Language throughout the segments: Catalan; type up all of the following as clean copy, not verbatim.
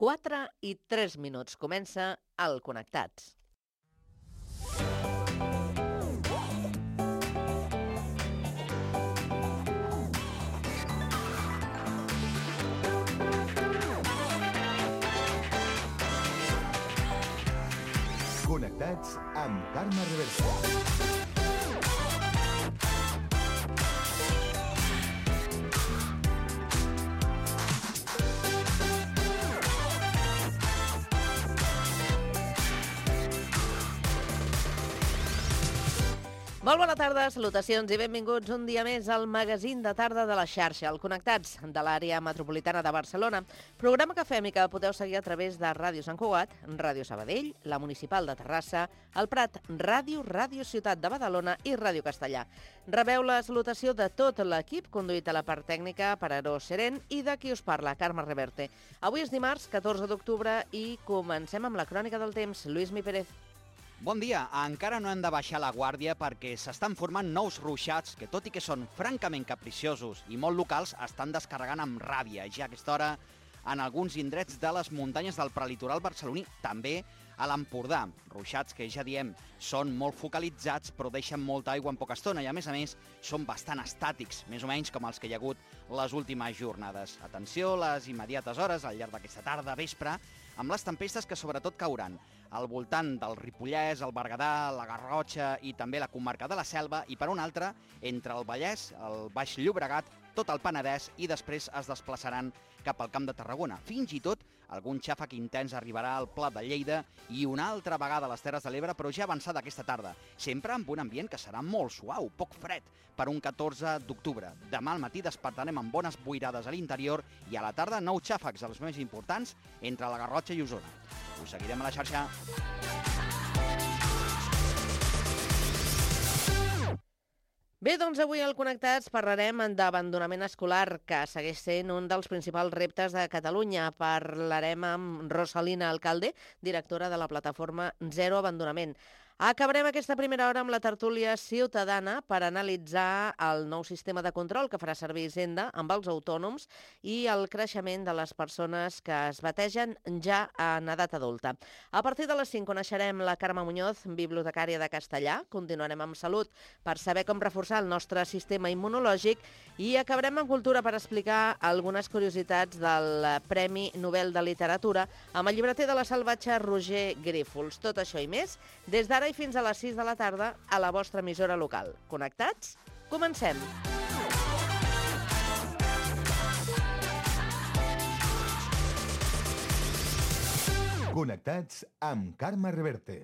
4:03. Comença el Connectats. Connectats amb Carme Reverte. Molt bona tarda, salutacions i benvinguts un dia més al magazín de tarda de la xarxa, el Connectats de l'àrea metropolitana de Barcelona, programa que fem i que podeu seguir a través de Ràdio Sant Cugat, Ràdio Sabadell, la Municipal de Terrassa, el Prat Ràdio, Ràdio Ciutat de Badalona i Ràdio Castellà. Rebeu la salutació de tot l'equip, conduït a la part tècnica per Aaró Seren i de qui us parla, Carme Reverte. Avui és dimarts, 14 d'octubre i comencem amb la crònica del temps. Lluís Mi Pérez. Bon dia. Encara no hem de baixar la guàrdia perquè s'estan formant nous ruixats que, tot i que són francament capriciosos i molt locals, estan descarregant amb ràbia, ja a aquesta hora en alguns indrets de les muntanyes del prelitoral barceloní, també a l'Empordà. Ruixats que, ja diem, són molt focalitzats però deixen molta aigua en poca estona i, a més, són bastant estàtics, més o menys com els que hi ha hagut les últimes jornades. Atenció a les immediates hores, al llarg d'aquesta tarda, vespre, amb les tempestes que sobretot cauran al voltant del Ripollès, el Berguedà, la Garrotxa i també la comarca de la Selva i, per una altra, entre el Vallès, el Baix Llobregat, tot el Penedès i després es desplaçaran cap al Camp de Tarragona. Fins i tot algun xàfec intens arribarà al Pla de Lleida i una altra vegada a les Terres de l'Ebre, però ja avançada aquesta tarda, sempre amb un ambient que serà molt suau, poc fred, per un 14 d'octubre. Demà al matí despertarem amb bones boirades a l'interior i a la tarda nous xàfecs, els més importants, entre la Garrotxa i Osona. Us seguirem a la xarxa. Bé, doncs avui al Connectats parlarem d'abandonament escolar, que segueix sent un dels principals reptes de Catalunya. Parlarem amb Rosalina Alcalde, directora de la plataforma Zero Abandonament. Acabarem aquesta primera hora amb la tertúlia ciutadana per analitzar el nou sistema de control que farà servir Hisenda amb els autònoms i el creixement de les persones que es bategen ja en edat adulta. A partir de les 5 coneixerem la Carme Muñoz, bibliotecària de Castellà. Continuarem amb salut per saber com reforçar el nostre sistema immunològic i acabarem amb cultura per explicar algunes curiositats del Premi Nobel de Literatura amb el llibreter de la Salvatge Roger Grífols. Tot això i més des d'ara i fins a les 6 de la tarda a la vostra emissora local. Connectats? Comencem! Connectats amb Carme Reverte.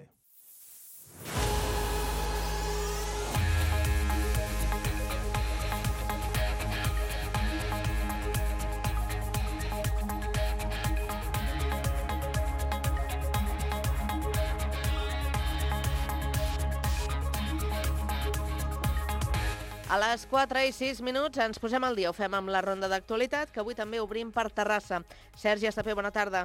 A les 4:06 ens posem al dia. Ho fem amb la ronda d'actualitat, que avui també obrim per Terrassa. Sergi Estapé, bona tarda.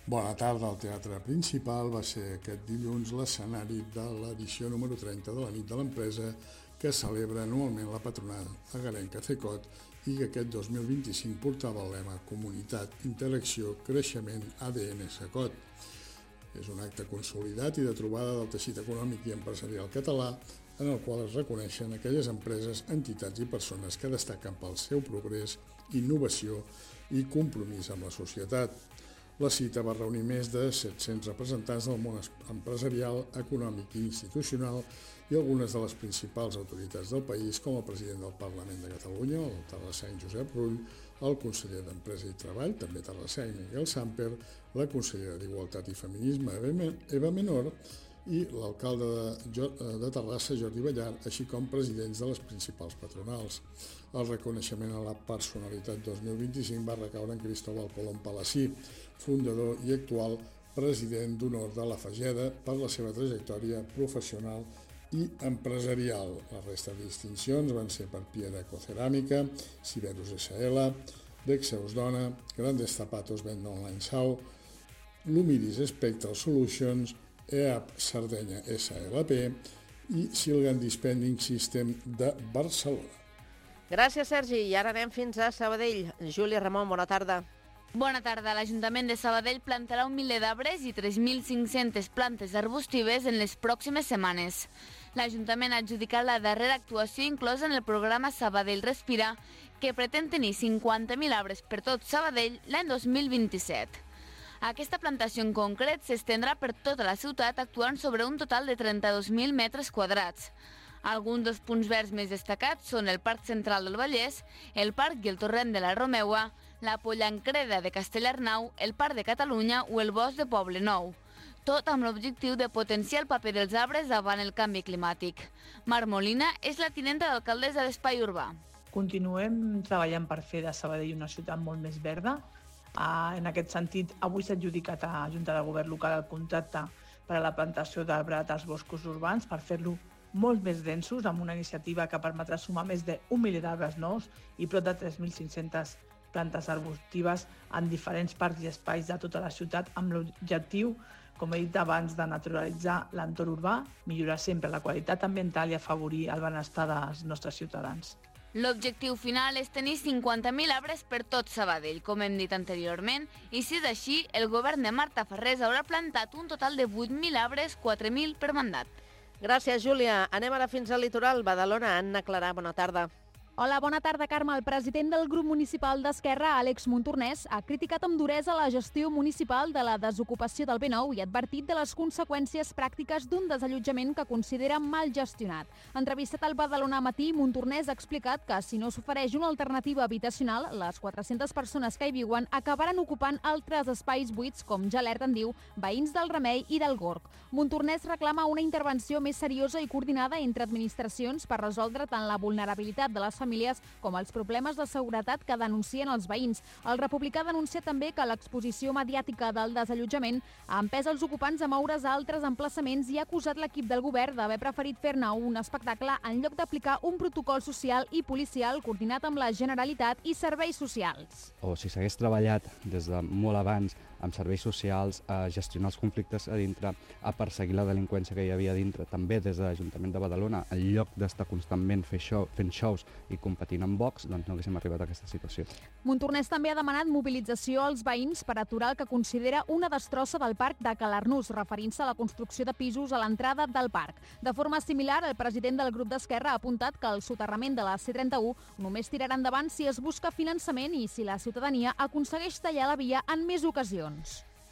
Bona tarda. El Teatre Principal va ser aquest dilluns l'escenari de l'edició número 30 de la nit de l'empresa, que celebra anualment la patronal agarenca CECOT i que aquest 2025 portava el lema Comunitat, Interacció, Creixement, ADN CECOT. És un acte consolidat i de trobada del teixit econòmic i empresarial català, en el qual es reconeixen aquelles empreses, entitats i persones que destaquen pel seu progrés, innovació i compromís amb la societat. La cita va reunir més de 700 representants del món empresarial, econòmic i institucional i algunes de les principals autoritats del país, com el president del Parlament de Catalunya, el terrasseny Josep Rull, el conseller d'Empresa i Treball, també terrasseny Miguel Samper, la consellera d'Igualtat i Feminisme Eva Menor i l'alcalde de Terrassa, Jordi Ballar, així com presidents de les principals patronals. El reconeixement a la personalitat 2025 va recaure en Cristóbal Colom Palací, fundador i actual president d'honor de la Fageda per la seva trajectòria professional i empresarial. La resta de distincions van ser per Piera Ecoceràmica, Siberus SL, Dexeus Dona, Grandes Zapatos Venda Online Sau, Lumiris Spectral Solutions, EAP Sardenya SLP i Silgan Dispending System de Barcelona. Gràcies, Sergi. I ara anem fins a Sabadell. Júlia Ramon, bona tarda. Bona tarda. L'Ajuntament de Sabadell plantarà 1 miler d'arbres i 3.500 plantes arbustives en les pròximes setmanes. L'Ajuntament ha adjudicat la darrera actuació inclosa en el programa Sabadell Respira, que pretén tenir 50.000 arbres per tot Sabadell l'any 2027. Aquesta plantació en concret s'estendrà per tota la ciutat, actuant sobre un total de 32.000 metres quadrats. Alguns dels punts verds més destacats són el Parc Central del Vallès, el Parc i el Torrent de la Romeua, la Pollancreda de Castellarnau, el Parc de Catalunya o el Bosc de Poble Nou. Tot amb l'objectiu de potenciar el paper dels arbres davant el canvi climàtic. Mar Molina és la tinenta d'alcaldessa d'Espai Urbà. Continuem treballant per fer de Sabadell una ciutat molt més verda. En aquest sentit, avui s'ha adjudicat a la Junta de Govern local el contracte per a la plantació d'arbrat als boscos urbans per fer-lo molt més densos, amb una iniciativa que permetrà sumar més d'1 miler d'arbres nous i prop de 3.500 plantes arbustives en diferents parcs i espais de tota la ciutat, amb l'objectiu, com he dit abans, de naturalitzar l'entorn urbà, millorar sempre la qualitat ambiental i afavorir el benestar dels nostres ciutadans. L'objectiu final és tenir 50.000 arbres per tot Sabadell, com hem dit anteriorment, i si és així, el govern de Marta Ferrés haurà plantat un total de 8.000 arbres, 4.000 per mandat. Gràcies, Júlia. Anem ara fins al litoral. Badalona, Anna Clarà, bona tarda. Hola, bona tarda, Carme. El president del grup municipal d'Esquerra, Àlex Montornès, ha criticat amb duresa la gestió municipal de la desocupació del B9 i ha advertit de les conseqüències pràctiques d'un desallotjament que considera mal gestionat. Entrevistat al Badalona Matí, Montornès ha explicat que si no s'ofereix una alternativa habitacional, les 400 persones que hi viuen acabaran ocupant altres espais buits, com ja alerten, diu, veïns del Remei i del Gorg. Montornès reclama una intervenció més seriosa i coordinada entre administracions per resoldre tant la vulnerabilitat de les famílies com els problemes de seguretat que denuncien els veïns. El republicà denuncia també que l'exposició mediàtica del desallotjament ha empès els ocupants a moure's a altres emplaçaments i ha acusat l'equip del govern d'haver preferit fer-ne un espectacle en lloc d'aplicar un protocol social i policial coordinat amb la Generalitat i serveis socials. O si s'hagués treballat des de molt abans amb serveis socials, a gestionar els conflictes a dintre, a perseguir la delinqüència que hi havia a dintre, també des de l'Ajuntament de Badalona, en lloc d'estar constantment fent shows i competint amb Vox, doncs no haguéssim arribat a aquesta situació. Montornès també ha demanat mobilització als veïns per aturar el que considera una destrossa del parc de Calarnús, referint-se a la construcció de pisos a l'entrada del parc. De forma similar, el president del grup d'Esquerra ha apuntat que el soterrament de la C31 només tirarà endavant si es busca finançament i si la ciutadania aconsegueix tallar la via en més ocasions.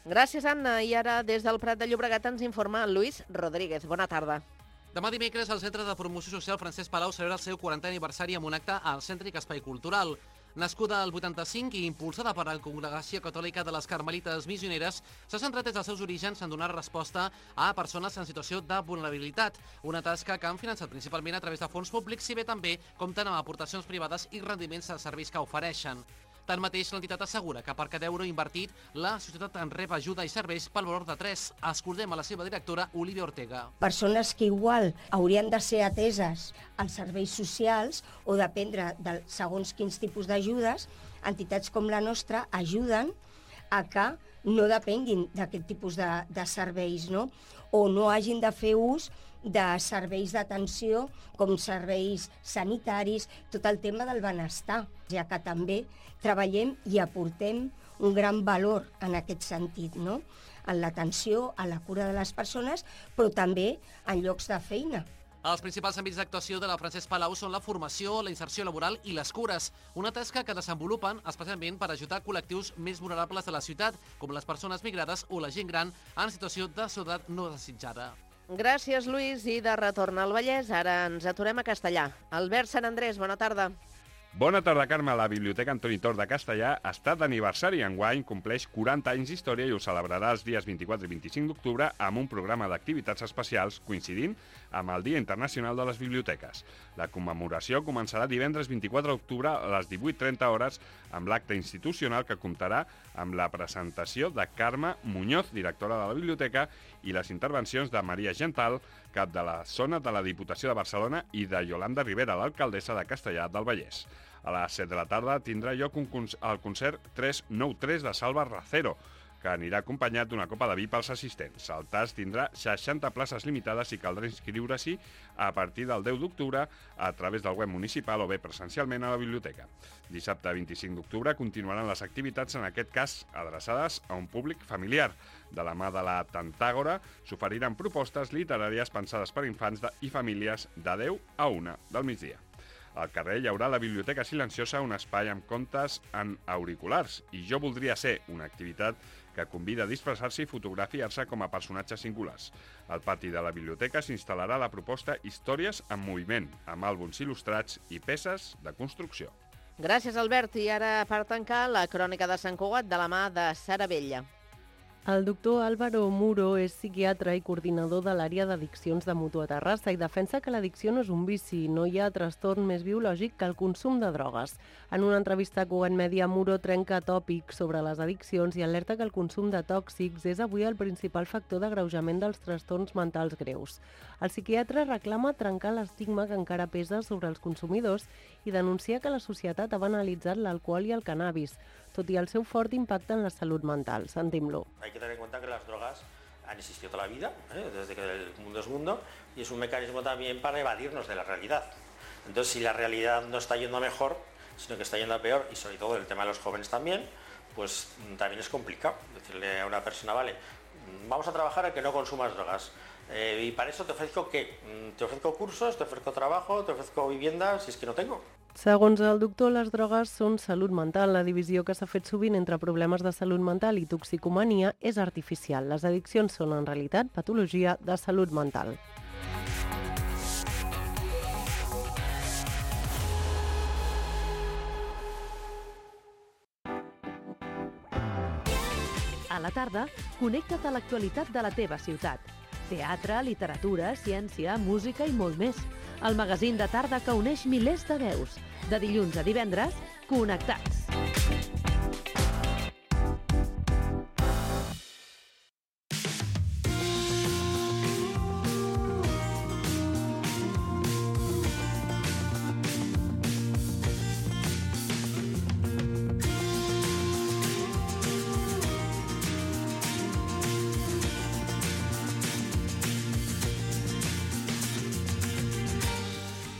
Gràcies, Anna. I ara, des del Prat de Llobregat, ens informa Luis Rodríguez. Bona tarda. Demà dimecres, el Centre de Promoció Social Francesc Palau celebra el seu 40è aniversari amb un acte al Cèntric Espai Cultural. Nascuda al 85 i impulsada per la Congregació Catòlica de les Carmelites Missioneres, s'ha centrat des dels seus orígens en donar resposta a persones en situació de vulnerabilitat, una tasca que han finançat principalment a través de fons públics, si bé també compten amb aportacions privades i rendiments dels serveis que ofereixen. Tanmateix, l'entitat assegura que per cada euro invertit, la societat en rep ajuda i serveis pel valor de 3. Escoltem a la seva directora, Olivia Ortega. Persones que igual haurien de ser ateses als serveis socials o dependre de segons quins tipus d'ajudes, entitats com la nostra ajuden a que no depenguin d'aquest tipus de serveis, no? O no hagin de fer ús de serveis d'atenció com serveis sanitaris, tot el tema del benestar, ja que també treballem i aportem un gran valor en aquest sentit, no? En l'atenció, a la cura de les persones, però també en llocs de feina. Els principals àmbits d'actuació de la Francesc Palau són la formació, la inserció laboral i les cures, una tasca que desenvolupen especialment per ajudar col·lectius més vulnerables de la ciutat, com les persones migrades o la gent gran en situació de soledat no desitjada. Gràcies, Lluís. I de retorn al Vallès, ara ens aturem a Castellà. Albert Sant Andrés, bona tarda. Bona tarda, Carme. La Biblioteca Antoni Tor de Castellà està d'aniversari. Enguany compleix 40 anys d'història i ho celebrarà els dies 24 i 25 d'octubre amb un programa d'activitats especials coincidint amb el Dia Internacional de les Biblioteques. La commemoració començarà divendres 24 d'octubre a les 18:30 hores amb l'acte institucional que comptarà amb la presentació de Carme Muñoz, directora de la biblioteca, i les intervencions de Maria Gental, cap de la zona de la Diputació de Barcelona, i de Yolanda Rivera, l'alcaldessa de Castellà del Vallès. A les 7 de la tarda tindrà lloc el concert 393 de Salva Racero, que anirà acompanyat d'una copa de vi pels assistents. El TAS tindrà 60 places limitades i caldrà inscriure-s'hi a partir del 10 d'octubre a través del web municipal o bé presencialment a la biblioteca. Dissabte 25 d'octubre continuaran les activitats, en aquest cas adreçades a un públic familiar. De la mà de la Tantàgora s'oferiran propostes literàries pensades per infants i famílies de 10 a 1 del migdia. Al carrer hi haurà la Biblioteca Silenciosa, un espai amb contes en auriculars, i Jo voldria ser, una activitat que convida a disfressar-se i fotografiar-se com a personatges singulars. Al pati de la biblioteca s'instal·larà la proposta Històries en moviment, amb àlbums il·lustrats i peces de construcció. Gràcies, Albert. I ara, per tancar, la crònica de Sant Cugat de la mà de Sara Vella. El doctor Álvaro Muro és psiquiatre i coordinador de l'àrea d'addiccions de Mutua Terrassa i defensa que l'addicció no és un vici, no hi ha trastorn més biològic que el consum de drogues. En una entrevista a Cugat Mèdia, Muro trenca tòpics sobre les addiccions i alerta que el consum de tòxics és avui el principal factor d'agreujament dels trastorns mentals greus. El psiquiatre reclama trencar l'estigma que encara pesa sobre els consumidors i denuncia que la societat ha banalitzat l'alcohol i el cannabis, tot i el seu fort impacte en la salut mental. Sentim-lo. Hay que tener en cuenta que las drogas han existido toda la vida, desde que el mundo es mundo, y es un mecanismo también para evadirnos de la realidad. Entonces, si la realidad no está yendo a mejor, sino que está yendo a peor, y sobre todo el tema de los jóvenes también, pues también es complicado decirle a una persona, vale, vamos a trabajar a que no consumas drogas. Y para eso te ofrezco ¿qué? Te ofrezco cursos, te ofrezco trabajo, te ofrezco vivienda, si es que no tengo. Segons el doctor, les drogues són salut mental. La divisió que s'ha fet sovint entre problemes de salut mental i toxicomania és artificial. Les addiccions són, en realitat, patologia de salut mental. A la tarda, connecta't a l'actualitat de la teva ciutat. Teatre, literatura, ciència, música i molt més. El magazín de tarda que uneix milers de veus. De dilluns a divendres, Connectats.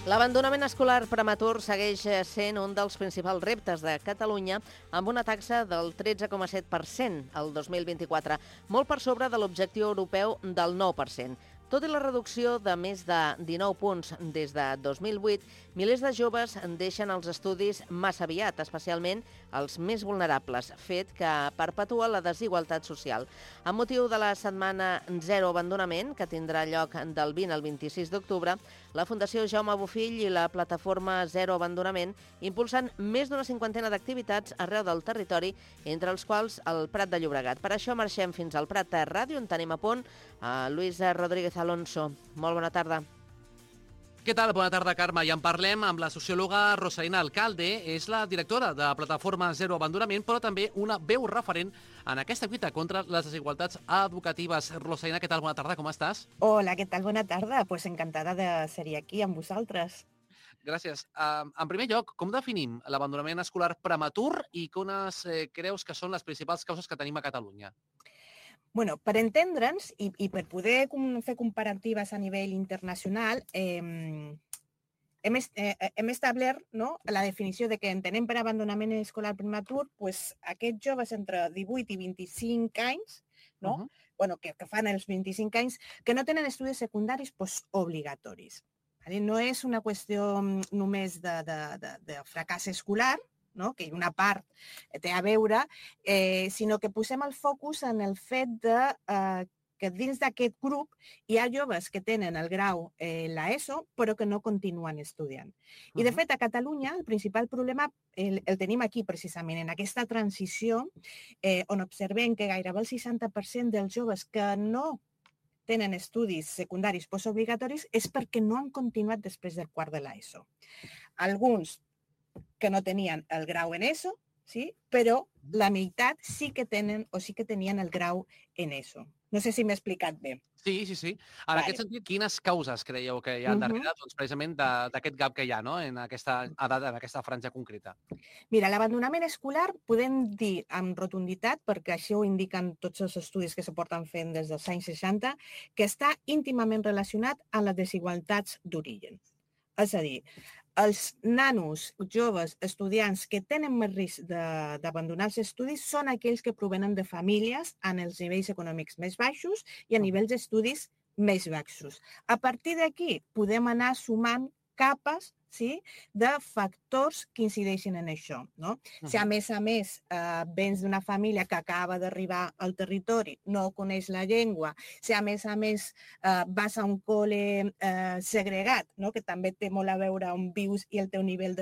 L'abandonament escolar prematur segueix sent un dels principals reptes de Catalunya, amb una taxa del 13,7% el 2024, molt per sobre de l'objectiu europeu del 9%. Tot i la reducció de més de 19 punts des de 2008, milers de joves deixen els estudis massa aviat, especialment els més vulnerables, fet que perpetua la desigualtat social. Amb motiu de la setmana Zero Abandonament, que tindrà lloc del 20 al 26 d'octubre, la Fundació Jaume Bofill i la plataforma Zero Abandonament impulsen més d'una cinquantena d'activitats arreu del territori, entre els quals el Prat de Llobregat. Per això marxem fins al Prat de Ràdio, on tenim a punt a Luisa Rodríguez Alonso. Molt bona tarda. Què tal? Bona tarda, Carme. I en parlem amb la sociòloga Rosalina Alcalde. És la directora de la plataforma Zero Abandonament, però també una veu referent en aquesta lluita contra les desigualtats educatives. Rosalina, què tal? Bona tarda, com estàs? Hola, què tal? Bona tarda. Pues encantada de ser aquí amb vosaltres. Gràcies. En primer lloc, com definim l'abandonament escolar prematur i quines creus que són les principals causes que tenim a Catalunya? Bueno, per entendre'ns i per poder fer comparatives a nivell internacional, hem establert, no, la definició de que entenem per abandonament escolar prematur pues, aquests joves entre 18 i 25 anys, no? Bueno, que fan els 25 anys, que no tenen estudis secundaris pues, obligatoris. No és una qüestió només de fracàs escolar, no? Que una part té a veure, sinó que posem el focus en el fet que dins d'aquest grup hi ha joves que tenen el grau l'ESO però que no continuen estudiant. I de fet a Catalunya el principal problema el tenim aquí precisament, en aquesta transició on observem que gairebé el 60% dels joves que no tenen estudis secundaris postobligatoris és perquè no han continuat després del quart de l'ESO. Alguns que no tenien el grau en ESO, sí? Però la meitat sí que tenen o sí que tenien el grau en ESO. No sé si m'he explicat bé. Sí. En aquest sentit, quines causes creieu que hi ha darrere, doncs, precisament d'aquest gap que hi ha, no?, en aquesta edat, en aquesta franja concreta? Mira, l'abandonament escolar podem dir amb rotunditat, perquè això ho indiquen tots els estudis que se porten fent des dels anys 60, que està íntimament relacionat amb les desigualtats d'origen. És a dir, els nanos, joves, estudiants que tenen més risc d'abandonar els estudis són aquells que provenen de famílies en els nivells econòmics més baixos i a nivells d'estudis més baixos. A partir d'aquí podem anar sumant capes de factors que incideixen en això. Si a més vens d'una família que acaba d'arribar al territori, no coneix la llengua, si a més vas a un col·le segregat, que també té molt a veure on vius i el teu nivell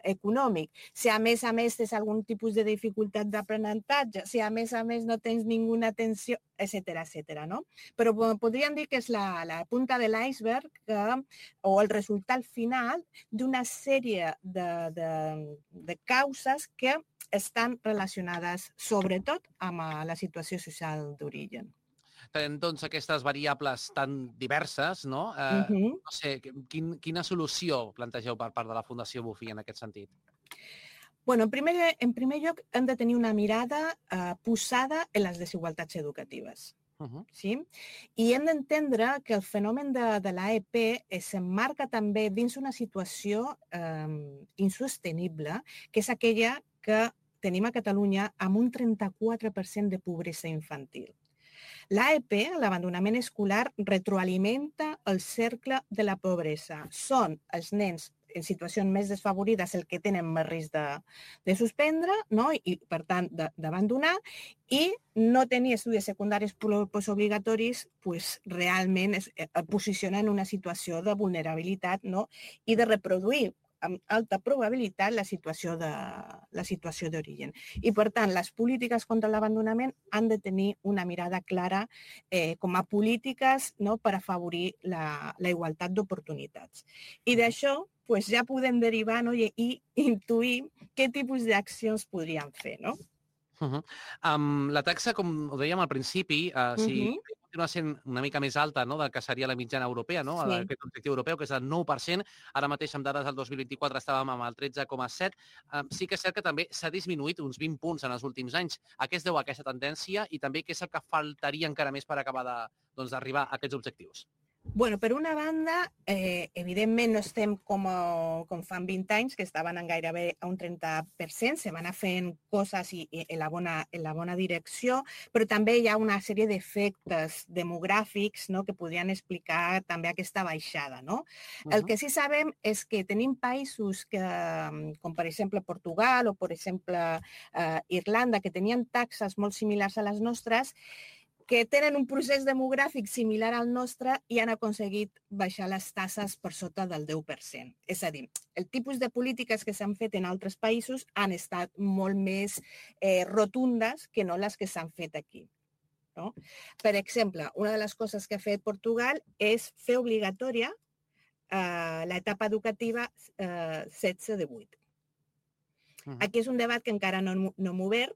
econòmic, si a més tens algun tipus de dificultat d'aprenentatge, si a més no tens ninguna atenció, etcètera. Però podríem dir que és la punta de l'iceberg o el resultat final d'una sèrie de causes que estan relacionades sobretot amb la situació social d'origen. Tenint doncs aquestes variables tan diverses, no? No sé, quina solució plantegeu per part de la Fundació Bofill en aquest sentit? En primer lloc, hem de tenir una mirada posada en les desigualtats educatives. Sí? I hem d'entendre que el fenomen de l'AEP s'emmarca també dins una situació insostenible, que és aquella que tenim a Catalunya amb un 34% de pobresa infantil. L'AEP, l'abandonament escolar, retroalimenta el cercle de la pobresa. Són els nens en situacions més desfavorides el que tenen més risc de suspendre i, per tant, d'abandonar, i no tenir estudis secundaris postobligatoris realment el posiciona en una situació de vulnerabilitat i de reproduir amb alta probabilitat la situació d'origen. I, per tant, les polítiques contra l'abandonament han de tenir una mirada clara com a polítiques per afavorir la igualtat d'oportunitats. I d'això ja podem derivar i intuir què tipus d'accions podríem fer. La taxa, com ho dèiem al principi, si continua sent una mica més alta del que seria la mitjana europea, aquest objectiu europeu, que és el 9%, ara mateix amb dades del 2024 estàvem amb el 13,7%, sí que és cert que també s'ha disminuït uns 20 punts en els últims anys. A què es deu aquesta tendència i també què és el que faltaria encara més per acabar d'arribar a aquests objectius? Per una banda, evidentment no estem com fa 20 anys, que estaven gairebé a un 30%, se van anar fent coses en la bona direcció, però també hi ha una sèrie d'efectes demogràfics que podrien explicar també aquesta baixada. El que sí sabem és que tenim països com per exemple Portugal o per exemple Irlanda, que tenien taxes molt similars a les nostres, que tenen un procés demogràfic similar al nostre i han aconseguit baixar les taxes per sota del 10%. És a dir, el tipus de polítiques que s'han fet en altres països han estat molt més rotundes que no les que s'han fet aquí. Per exemple, una de les coses que ha fet Portugal és fer obligatòria l'etapa educativa 16-18. Aquí és un debat que encara no hem obert,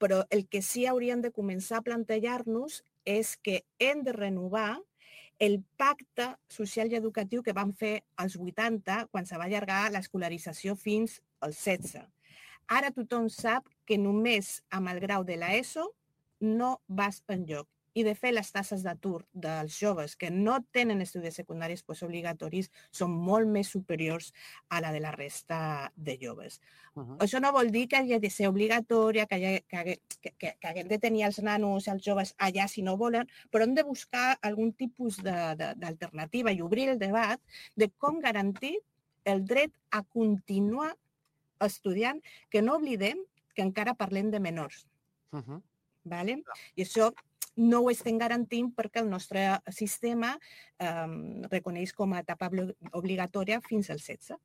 però el que sí hauríem de començar a plantejar-nos és que hem de renovar el pacte social i educatiu que vam fer als 80 quan se va allargar l'escolarització fins als 16. Ara tothom sap que només amb el grau de l'ESO no vas enlloc. I, de fet, les taxes d'atur dels joves que no tenen estudis secundaris postobligatoris són molt més superiors a la de la resta de joves. Això no vol dir que hagi de ser obligatòria, que haguem de tenir els nanos i els joves allà si no volen, però hem de buscar algun tipus d'alternativa i obrir el debat de com garantir el dret a continuar estudiant, que no oblidem que encara parlem de menors. I això no ho estem garantint perquè el nostre sistema reconeix com a etapa obligatòria fins al 16.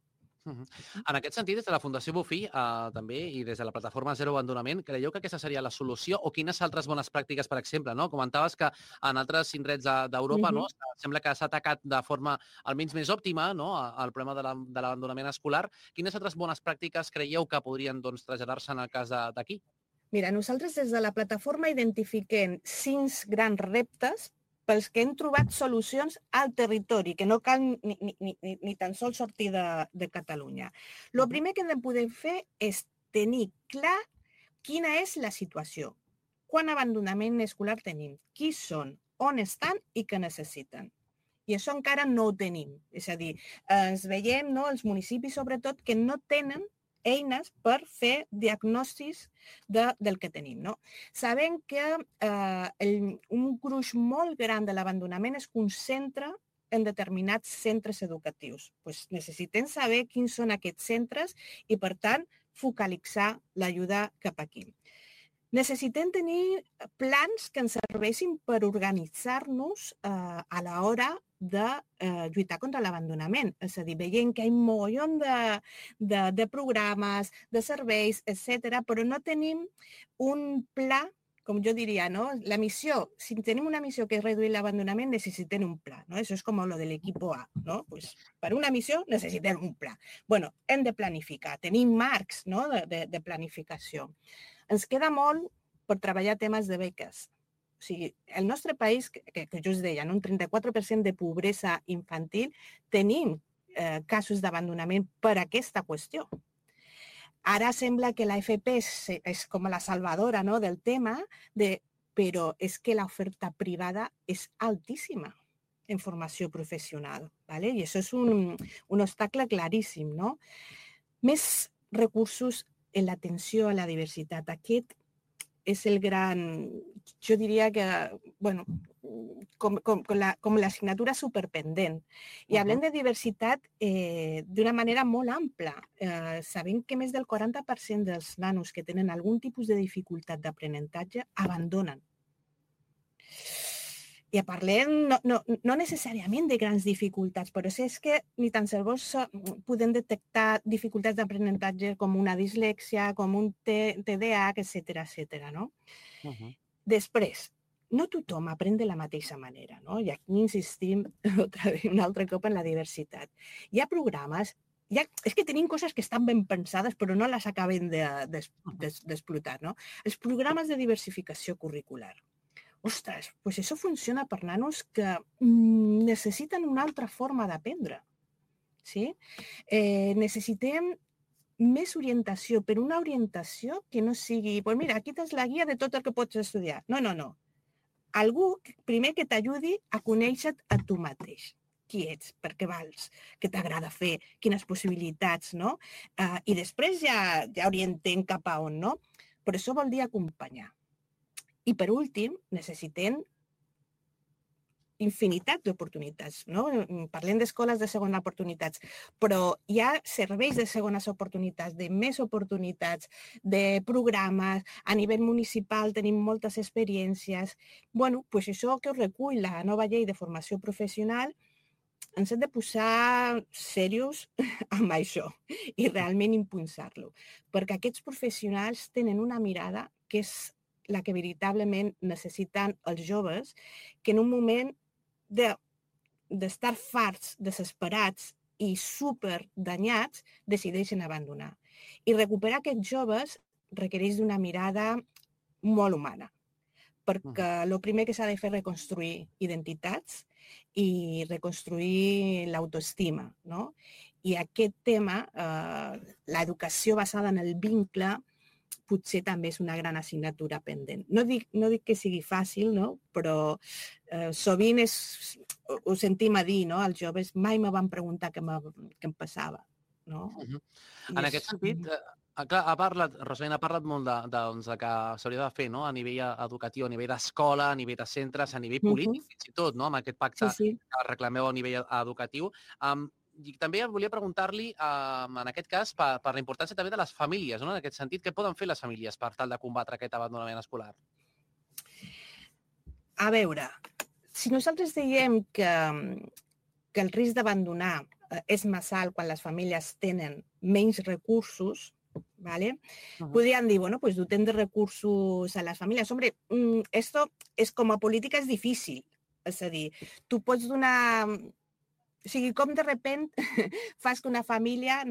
En aquest sentit, des de la Fundació Bofill també i des de la plataforma Zero Abandonament, creieu que aquesta seria la solució o quines altres bones pràctiques, per exemple, no? Comentaves que en altres indrets d'Europa sembla que s'ha atacat de forma almenys més òptima el problema de l'abandonament escolar. Quines altres bones pràctiques creieu que podrien traslladar-se en el cas d'aquí? Mira, nosaltres des de la plataforma identifiquem 5 grans reptes pels que hem trobat solucions al territori, que no cal ni tan sols sortir de Catalunya. El primer que hem de poder fer és tenir clar quina és la situació. Quant abandonament escolar tenim? Qui són? On estan i què necessiten? I això encara no ho tenim. És a dir, ens veiem, els municipis sobretot, que no tenen eines per fer diagnòstics del que tenim. Sabem que un gruix molt gran de l'abandonament es concentra en determinats centres educatius. Necessitem saber quins són aquests centres i, per tant, focalitzar l'ajuda cap aquí. Necessitem tenir plans que ens serveixin per organitzar-nos a l'hora de lluitar contra l'abandonament. És a dir, veiem que hi ha un mogollon de programes, de serveis, etc., però no tenim un pla, com jo diria, la missió. Si tenim una missió que és reduir l'abandonament, necessitem un pla. Això és com lo de l'equipo A. Per una missió necessitem un pla. Hem de planificar, tenim marcs de planificació. Ens queda molt per treballar temes de beques. O sigui, el nostre país, que jo us deia, un 34% de pobresa infantil, tenim casos d'abandonament per aquesta qüestió. Ara sembla que l'AFP és com la salvadora del tema, però és que l'oferta privada és altíssima en formació professional. I això és un obstacle claríssim. Més recursos en l'atenció a la diversitat. Aquest és el gran, jo diria que, com l'assignatura superpendent. I parlem de diversitat d'una manera molt ampla. Sabem que més del 40% dels nanos que tenen algun tipus de dificultat d'aprenentatge abandonen. I parlem no necessàriament de grans dificultats, però és que ni tan sols podem detectar dificultats d'aprenentatge com una dislèxia, com un TDAH, etc. Després, no tothom aprèn de la mateixa manera, i aquí insistim un altre cop en la diversitat. Hi ha programes, és que tenim coses que estan ben pensades però no les acabem d'explotar. Els programes de diversificació curricular. Ostres, doncs això funciona per nanos que necessiten una altra forma d'aprendre. Necessitem més orientació, però una orientació que no sigui, mira, aquí tens la guia de tot el que pots estudiar. No. Algú, primer, que t'ajudi a conèixer-te a tu mateix. Qui ets, per què vals, què t'agrada fer, quines possibilitats, I després ja orientem cap a on, Però això vol dir acompanyar. I, per últim, necessitem infinitat d'oportunitats. Parlem d'escoles de segona oportunitats, però hi ha serveis de segones oportunitats, de més oportunitats, de programes. A nivell municipal tenim moltes experiències. Doncs això que us recull la nova llei de formació professional, ens hem de posar serios amb això i realment impulsar-lo, perquè aquests professionals tenen una mirada que és la que veritablement necessiten els joves, que en un moment d'estar farts, desesperats i superdanyats, decideixen abandonar. I recuperar aquests joves requereix d'una mirada molt humana, perquè el primer que s'ha de fer és reconstruir identitats i reconstruir l'autoestima. I aquest tema, l'educació basada en el vincle, potser també és una gran assignatura pendent. No dic que sigui fàcil, però sovint ho sentim a dir, els joves mai me van preguntar què em passava. En aquest sentit, Rosalina ha parlat molt de que s'hauria de fer a nivell educatiu, a nivell d'escola, a nivell de centres, a nivell polític, fins i tot, amb aquest pacte que reclameu a nivell educatiu. I també volia preguntar-li, en aquest cas, per la importància també de les famílies, en aquest sentit, què poden fer les famílies per tal de combatre aquest abandonament escolar? A veure, si nosaltres diem que el risc d'abandonar és massa alt quan les famílies tenen menys recursos, ¿vale? Podrían decir, bueno, pues doten de recursos a las familias. Hombre, esto es como política es difícil. És a dir, tu pots donar... O sigui, com de repent fas que una família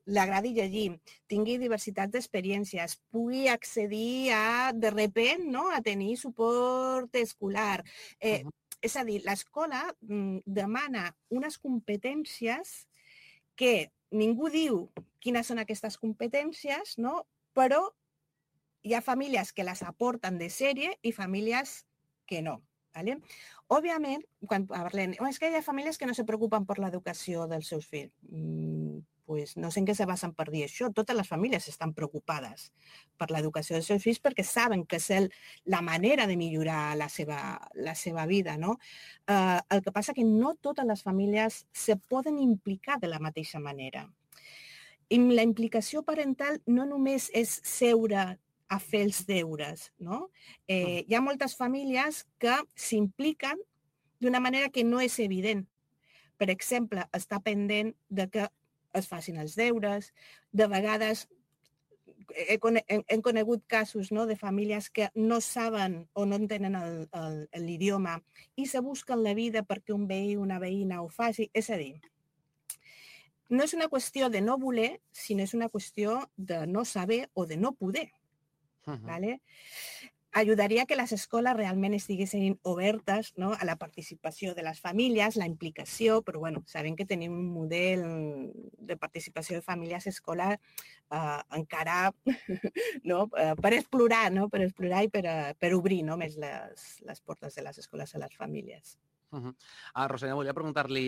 l'agradi llegir, tingui diversitat d'experiències, pugui accedir de repent a tenir suport escolar. És a dir, l'escola demana unes competències que ningú diu quines són aquestes competències, però hi ha famílies que les aporten de sèrie i famílies que no. ¿Vale? Òbviament, quan parlem, és que hi ha famílies que no se preocupen per l'educació dels seus fills. Pues no sé en què se basen per dir això. Totes les famílies estan preocupades per l'educació dels seus fills perquè saben que és la manera de millorar la seva vida. No? El que passa que no totes les famílies se poden implicar de la mateixa manera. I la implicació parental no només és seure a fer els deures. No? Hi ha moltes famílies que s'impliquen d'una manera que no és evident. Per exemple, està pendent de que es facin els deures. De vegades hem conegut casos de famílies que no saben o no entenen l'idioma i se busquen la vida perquè un veí o una veïna ho faci. És a dir, no és una qüestió de no voler, sinó és una qüestió de no saber o de no poder. ¿Vale? Ayudaria que les escoles realment estiguessin obertes a la participació de les famílies, la implicació, però bueno, sabem que tenim un model de participació de famílies escolar encara per explorar i per obrir més les portes de les escoles a les famílies. Rosselló, volia preguntar-li,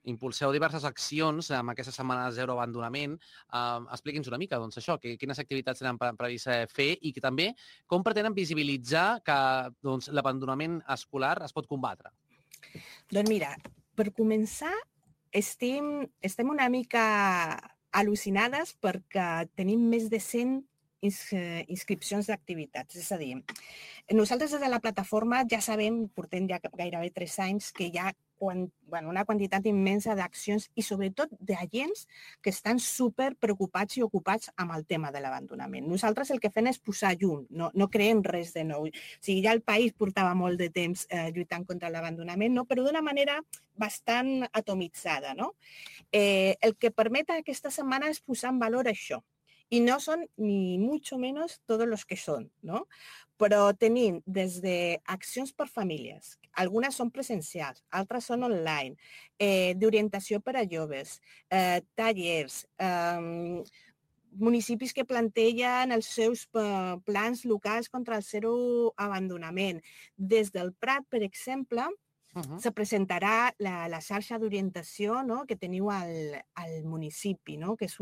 impulseu diverses accions amb aquesta setmana de zero abandonament. Expliqui'ns una mica això, quines activitats tenen previst fer i que també com pretenen visibilitzar que l'abandonament escolar es pot combatre. Doncs mira, per començar, estem una mica al·lucinades perquè tenim més de 100 inscripcions d'activitats. És a dir, nosaltres des de la plataforma ja sabem, portem ja gairebé 3 anys, que hi ha una quantitat immensa d'accions i sobretot d'agents que estan super preocupats i ocupats amb el tema de l'abandonament. Nosaltres el que fem és posar llum, no creem res de nou. O sigui, ja el país portava molt de temps lluitant contra l'abandonament, però d'una manera bastant atomitzada. El que permet aquesta setmana és posar en valor això. Y no son ni mucho menos todos los que son, ¿no? Però tenim des d'accions per famílies, algunes són presencials, altres són online, d'orientació per a joves, tallers, municipis que plantegen els seus plans locals contra el zero abandonament. Des del Prat, per exemple, se presentarà la xarxa d'orientació que teniu al municipi, que és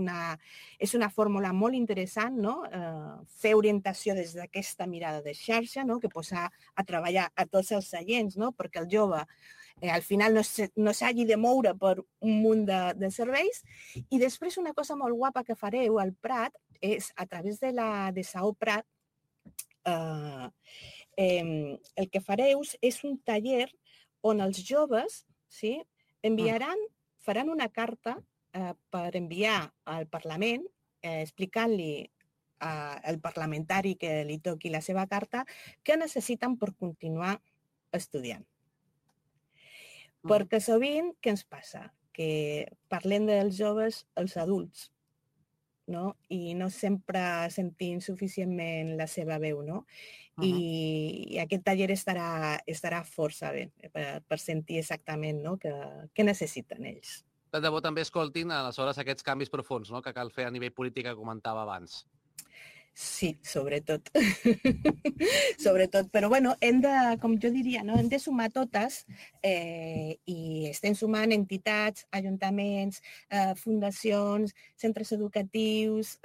una fórmula molt interessant, fer orientació des d'aquesta mirada de xarxa, que posa a treballar a tots els agents, perquè el jove al final no s'hagi de moure per un munt de serveis. I després una cosa molt guapa que fareu al Prat és, a través de Saó Prat, el que fareu és un taller on els joves faran una carta per enviar al Parlament explicant-li al parlamentari que li toqui la seva carta què necessiten per continuar estudiant. Perquè sovint què ens passa? Que parlem dels joves els adults, i no sempre sentim suficientment la seva veu, i aquest taller estarà força bé per sentir exactament què necessiten ells. De debò també escoltin aleshores aquests canvis profuns que cal fer a nivell polític que comentava abans. Sí, sobretot. Sobretot. Però bueno, com jo diria, hem de sumar totes i estem sumant entitats, ajuntaments, fundacions, centres educatius,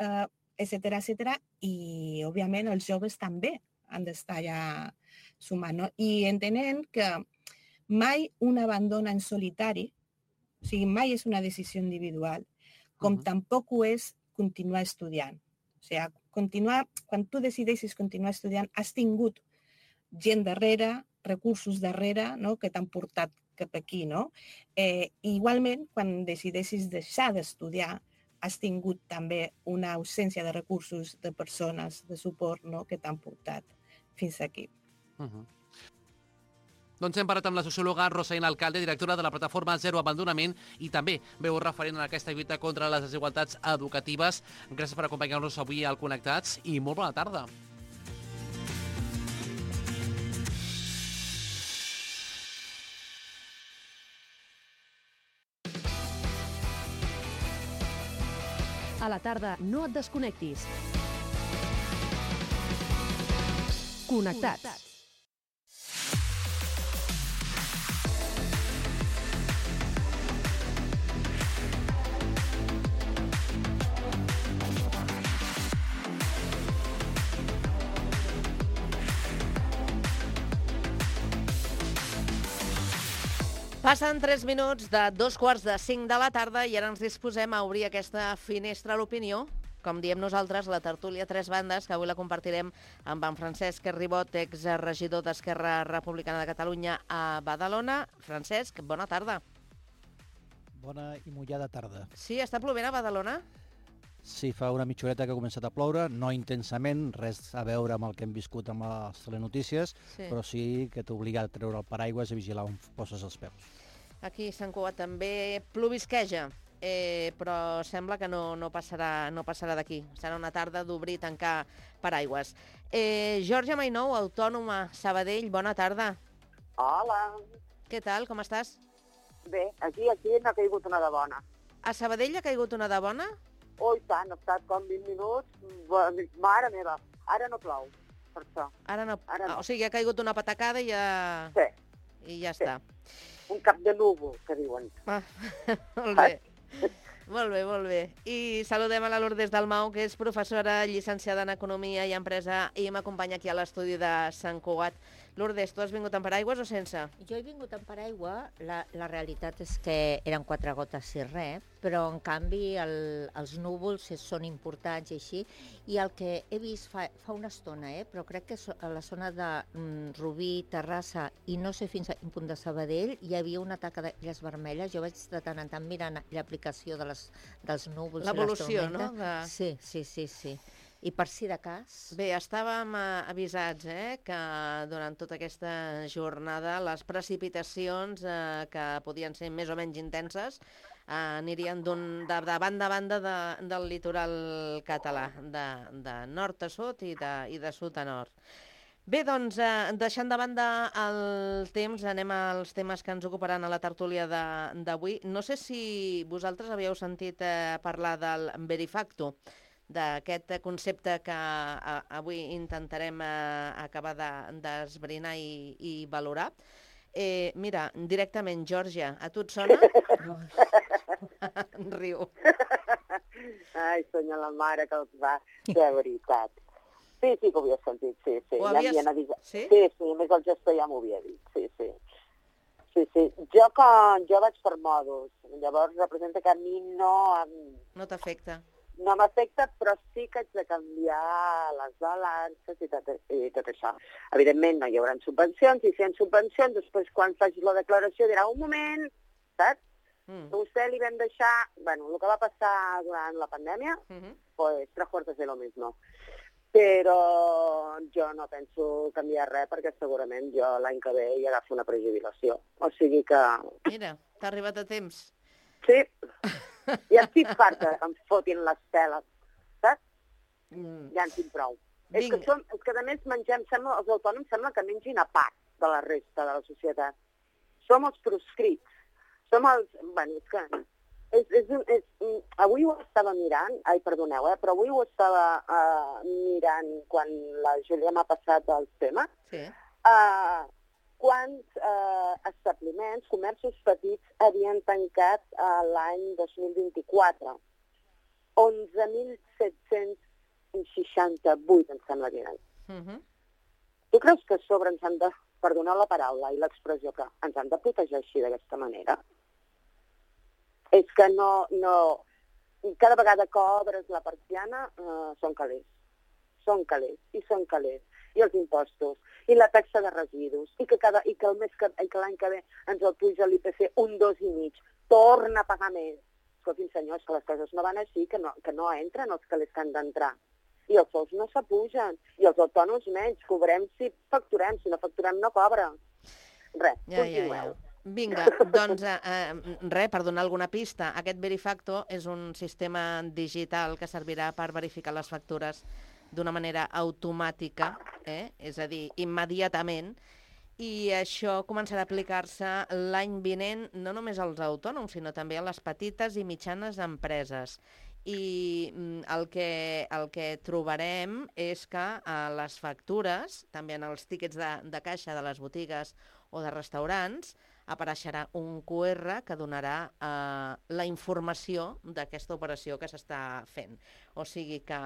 etcètera, i òbviament els joves també han d'estar ja sumant. I entenent que mai un abandona en solitari, o sigui, mai és una decisió individual, com tampoc ho és continuar estudiant. O sigui, quan tu decideixes continuar estudiant, has tingut gent darrere, recursos darrere, que t'han portat cap aquí, no? Igualment, quan decideixis deixar d'estudiar, has tingut també una ausència de recursos de persones de suport, no?, que t'han portat fins aquí. Doncs hem parlat amb la sociòloga Rosalina Alcalde, directora de la plataforma Zero Abandonament i també veu referent en aquesta lluita contra les desigualtats educatives. Gràcies per acompanyar-nos avui al Connectats i molt bona tarda. A la tarda no et desconnectis. Connectats. Passen 3 minuts de 2:45 de la tarda i ara ens disposem a obrir aquesta finestra a l'opinió, com diem nosaltres, la tertúlia Tres Bandes, que avui la compartirem amb en Francesc Ribot, exregidor d'Esquerra Republicana de Catalunya a Badalona. Francesc, bona tarda. Bona i mullada tarda. Sí, està plovent a Badalona? Sí, fa una mitja horeta que ha començat a ploure, no intensament, res a veure amb el que hem viscut amb les telenotícies, però sí que t'obliga a treure el paraigües i vigilar on poses els peus. Aquí a Sant Cugat també plovisqueja, però sembla que no passarà d'aquí. Serà una tarda d'obrir i tancar paraigües. Georgia Mainou, autònoma, Sabadell, bona tarda. Hola. Què tal, com estàs? Bé, aquí n'ha caigut una de bona. A Sabadell ha caigut una de bona? Oh, i tant, ha estat com 20 minuts. Mare meva, ara no plou, per això. Ara no. O sigui, ha caigut una patacada i ja... Sí. I ja està. Un cap de núvol, que diuen. Molt bé. Molt bé. I saludem a la Lourdes Dalmau, que és professora llicenciada en Economia i Empresa i m'acompanya aquí a l'estudi de Sant Cugat. Lourdes, tu has vingut amb paraigües o sense? Jo he vingut amb paraigua. La realitat és que eren 4 gotes i res, però en canvi els núvols són importants i així. I el que he vist fa una estona, però crec que a la zona de Rubí, Terrassa i no sé fins a quin punt de Sabadell hi havia una taca d'illes vermelles. Jo vaig de tant en tant mirant l'aplicació dels núvols. L'evolució, no? Sí. I per si de cas... Bé, estàvem avisats que durant tota aquesta jornada les precipitacions que podien ser més o menys intenses anirien de banda a banda del litoral català, de nord a sud i de sud a nord. Bé, doncs, deixant de banda el temps, anem als temes que ens ocuparan a la tertúlia d'avui. No sé si vosaltres havíeu sentit parlar del Verifacto, d'aquest concepte que avui intentarem acabar d'esbrinar i valorar. Mira, directament, Georgia, a tu et sona? Riu. Ai, senyor, la mare que els va, de veritat. Sí, que ho havia sentit, sí. Ho havies... Sí, a més el gestor ja m'ho havia dit, sí. Jo vaig per mòduls, llavors representa que a mi no t'afecta. No m'afecta, però sí que haig de canviar les balances i tot això. Evidentment no hi haurà subvencions, i si hi ha subvencions, després quan facis la declaració dirà un moment, saps? A vostè li vam deixar, bueno, el que va passar durant la pandèmia, pues 3/4 de lo mismo. Però jo no penso canviar res perquè segurament jo l'any que ve hi agafo una prejubilació. O sigui que... Mira, t'ha arribat a temps. Sí. Ja estic farta que em fotin les teles, saps? Ja en tinc prou. És que a més els autònoms sembla que mengin a part de la resta de la societat. Som els proscrits. Som els... Bueno, és que... Avui ho estava mirant, perdoneu, però avui ho estava mirant quan la Júlia m'ha passat els temes. Sí. Quants establiments, comerços petits, havien tancat l'any 2024? 11.768, em sembla que eren. Tu creus que a sobre ens han de, perdonar la paraula i l'expressió, que ens han de protegir així d'aquesta manera? És que no... Cada vegada que obres la persiana són calés. són calés, i són calés. I els impostos, i la taxa de residus, i que l'any que ve ens el puja l'IPC un 2,5, torna a pagar més. Escoltin, senyors, que les coses no van així, que no entren els calés que han d'entrar. I els sous no s'apugen, i els autònoms menys, cobrem si facturem, si no facturem no cobra. Res, continueu. Vinga, doncs per donar alguna pista, aquest Verifacto és un sistema digital que servirà per verificar les factures d'una manera automàtica, és a dir, immediatament, i això començarà a aplicar-se l'any vinent no només als autònoms, sinó també a les petites i mitjanes empreses. I el que trobarem és que a les factures, també en els tíquets de caixa de les botigues o de restaurants, apareixerà un QR que donarà la informació d'aquesta operació que s'està fent. O sigui que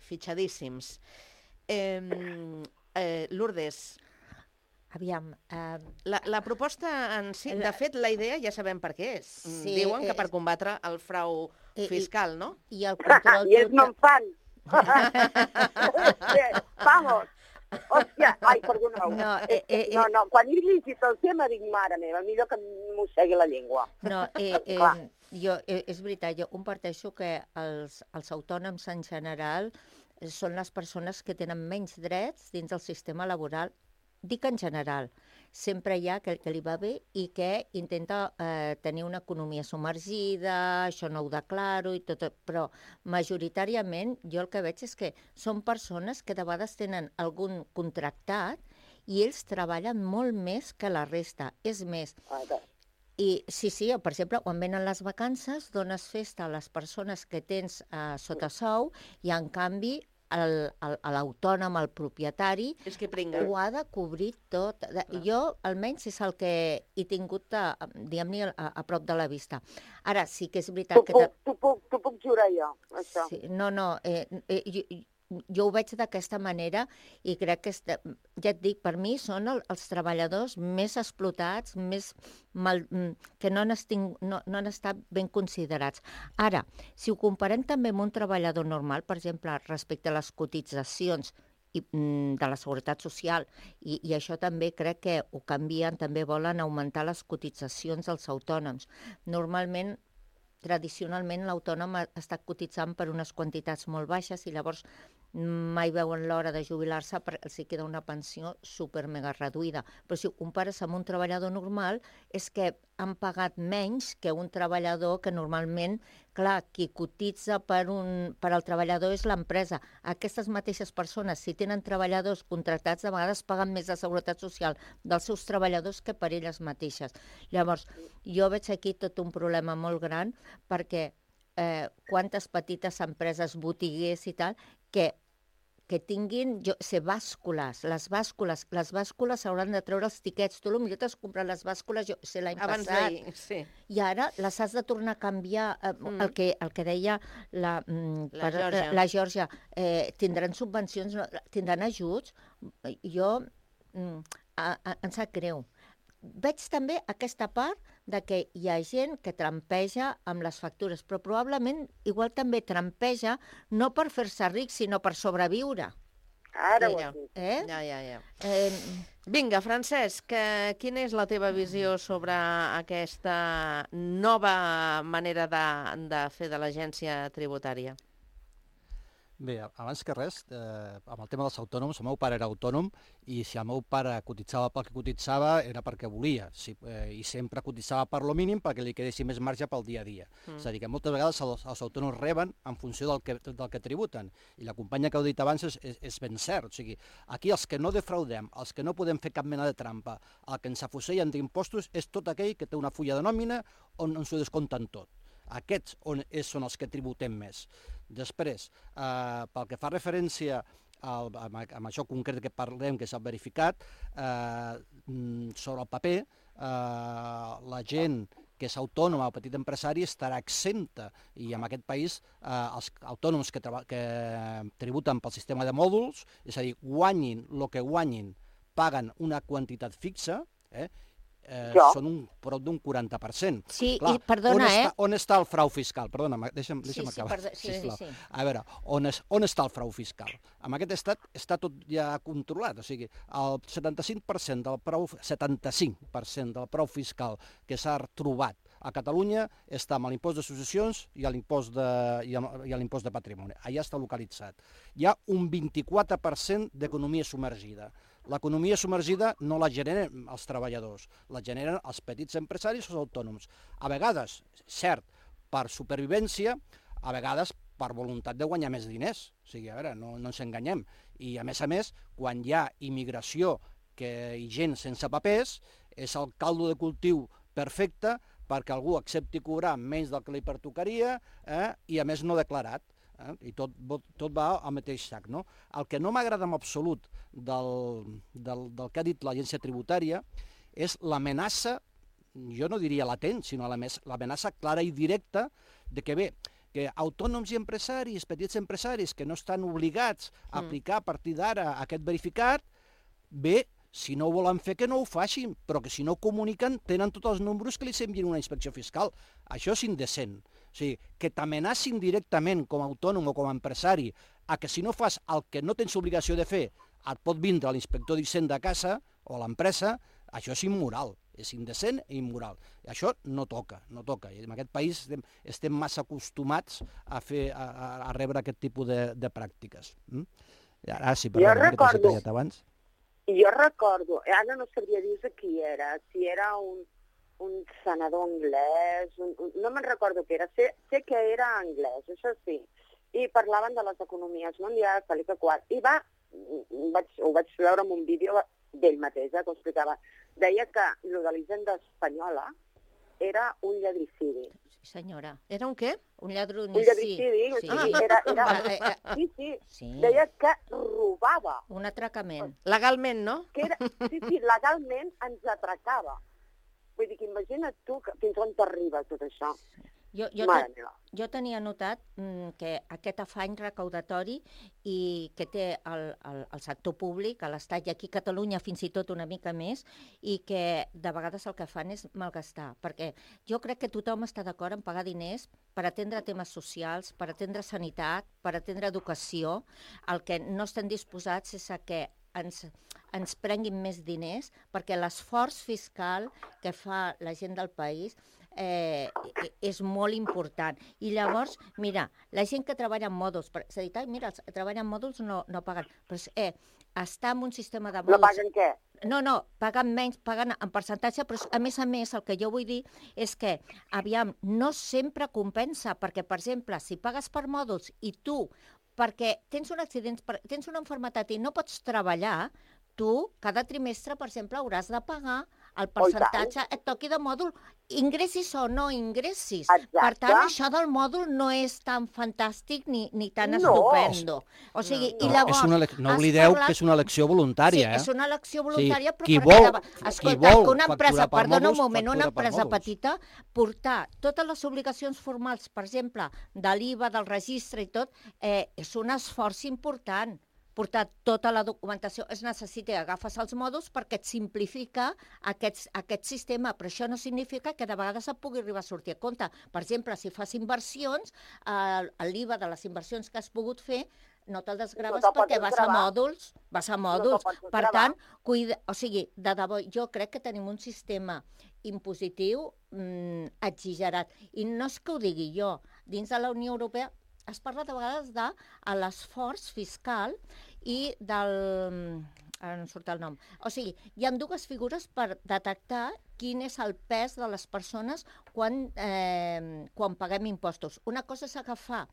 fitxadíssims. Lourdes, aviam... La proposta en si, de fet, la idea ja sabem per què és. Diuen que per combatre el frau fiscal, no? I el control... I ells no en fan. Vamos. Hòstia, ai, perdoneu. No, quan he llegit el tema dic, mare meva, millor que mossegui la llengua. No, és veritat, jo comparteixo que els autònoms en general són les persones que tenen menys drets dins del sistema laboral. Dic en general, sempre hi ha que li va bé i que intenta tenir una economia submergida, això no ho declaro i tot, però majoritàriament jo el que veig és que són persones que de vegades tenen algun contractat i ells treballen molt més que la resta. És més, i sí, per exemple, quan venen les vacances dones festa a les persones que tens sota sou i en canvi l'autònom, el propietari, ho ha de cobrir tot. Jo, almenys, és el que he tingut, diguem-ne, a prop de la vista. Ara, sí que és veritat que... T'ho puc jurar jo, això. Jo ho veig d'aquesta manera i crec que, ja et dic, per mi són els treballadors més explotats, que no han estat ben considerats. Ara, si ho comparem també amb un treballador normal, per exemple, respecte a les cotitzacions de la Seguretat Social, i això també crec que ho canvien, també volen augmentar les cotitzacions dels autònoms. Normalment, tradicionalment, l'autònom ha estat cotitzant per unes quantitats molt baixes i llavors mai veuen l'hora de jubilar-se perquè els queda una pensió super mega reduïda. Però si ho compares amb un treballador normal, és que han pagat menys que un treballador que normalment, clar, qui cotitza per al treballador és l'empresa. Aquestes mateixes persones, si tenen treballadors contractats, de vegades paguen més de seguretat social dels seus treballadors que per elles mateixes. Llavors, jo veig aquí tot un problema molt gran perquè quantes petites empreses, botiguers i tal, que tinguin bàscules. Les bàscules s'hauran de treure els tiquets. Tu potser t'has comprat les bàscules l'any passat. Sí. I ara les has de tornar a canviar. El que deia la Georgia. Tindran subvencions, tindran ajuts. Jo em sap greu. Veig també aquesta part de que hi ha gent que trampeja amb les factures, però probablement igual també trampeja no per fer-se ric, sinó per sobreviure. Ara ho has dit. Ja. Vinga, Francesc, quina és la teva visió sobre aquesta nova manera de fer de l'agència tributària? Bé, abans que res, amb el tema dels autònoms, el meu pare era autònom i si el meu pare cotitzava pel que cotitzava era perquè volia i sempre cotitzava per lo mínim perquè li quedessi més marge pel dia a dia. És a dir, que moltes vegades els autònoms reben en funció del que tributen i la companya que heu dit abans és ben cert. O sigui, aquí els que no defraudem, els que no podem fer cap mena de trampa, el que ens afusellen d'impostos és tot aquell que té una fulla de nòmina on ens ho descompten tot. Aquests són els que tributem més. Després, pel que fa referència amb això concret que parlem, que s'ha verificat, sobre el paper, la gent que és autònoma o petit empresari estarà exempta i en aquest país els autònoms que tributen pel sistema de mòduls, és a dir, guanyin el que guanyin, paguen una quantitat fixa, són prop d'un 40%. Sí, clar, i perdona, on està el frau fiscal? Perdona, deixa'm acabar, sisplau. Sí. A veure, on està el frau fiscal? En aquest estat està tot ja controlat, o sigui, el 75% del frau fiscal que s'ha trobat a Catalunya està amb l'impost d'associacions i l'impost de patrimoni. Allà està localitzat. Hi ha un 24% d'economia submergida. L'economia submergida no la generen els treballadors, la generen els petits empresaris o els autònoms. A vegades, cert, per supervivència, a vegades per voluntat de guanyar més diners. O sigui, a veure, no ens enganyem. I a més, quan hi ha immigració i gent sense papers, és el caldo de cultiu perfecte perquè algú accepti cobrar menys del que li pertocaria i a més no declarat. I tot va al mateix sac. No? El que no m'agrada en absolut del que ha dit l'agència tributària és l'amenaça, jo no diria latent, sinó l'amenaça clara i directa de que autònoms i empresaris, petits empresaris que no estan obligats a aplicar a partir d'ara aquest verificat, si no ho volen fer, que no ho facin, però que si no comuniquen tenen tots els números que li envien una inspecció fiscal. Això és indecent. O sigui, que t'amenacin directament com a autònom o com a empresari a que si no fas el que no tens obligació de fer et pot vindre l'inspector d'Hisenda a casa o a l'empresa, això és immoral, és indecent i immoral. I això no toca. I en aquest país estem massa acostumats a rebre aquest tipus de pràctiques. Ara sí, perdó, que t'he tallat abans. Jo recordo, ara no sabria dir qui era, si era un senador anglès, no me'n recordo què era, sé que era anglès, això sí, i parlaven de les economies mundials, tal i que qual, i ho vaig veure en un vídeo d'ell mateix, que ho explicava. Deia que el de l'Hisenda espanyola era un lladricidi. Sí, senyora. Era un què? Un lladronicidi. Un lladricidi, sí. Deia que robava. Un atracament. Legalment, no? Sí, legalment ens atracava. Vull dir que imagina't tu fins on t'arriba tot això. Jo tenia notat que aquest afany recaudatori i que té el sector públic, a l'Estat i aquí a Catalunya fins i tot una mica més, i que de vegades el que fan és malgastar, perquè jo crec que tothom està d'acord en pagar diners per atendre temes socials, per atendre sanitat, per atendre educació. El que no estem disposats és a que ens prenguin més diners, perquè l'esforç fiscal que fa la gent del país és molt important. I llavors, mira, la gent que treballa en mòduls, és a dir, mira, els que treballen en mòduls no paguen, però està en un sistema de mòduls... No paguen què? No, paguen menys, paguen en percentatge, però a més, el que jo vull dir és que, aviam, no sempre compensa, perquè, per exemple, si pagues per mòduls i tu, perquè tens un accident, tens una malaltia i no pots treballar, tu, cada trimestre, per exemple, hauràs de pagar el percentatge et toqui de mòdul, ingressis o no ingressis. Exacte. Per tant, això del mòdul no és tan fantàstic ni tan estupendo. O sigui, i llavors... No oblideu que és una elecció voluntària, Sí, és una elecció voluntària, però qui vol una empresa, perdona un moment, una empresa petita, portar totes les obligacions formals, per exemple, de l'IVA, del registre i tot, és un esforç important. Portar tota la documentació es necessita, agafes els mòduls perquè et simplifica aquest sistema, però això no significa que de vegades et pugui arribar a sortir a compte. Per exemple, si fas inversions, l'IVA de les inversions que has pogut fer no te'l desgraves perquè vas a mòduls. Per tant, o sigui, de debò, jo crec que tenim un sistema impositiu exagerat. I no és que ho digui jo, dins de la Unió Europea es parla de vegades de l'esforç fiscal i del... Ara no em surt el nom. O sigui, hi ha dues figures per detectar quin és el pes de les persones quan paguem impostos. Una cosa és agafar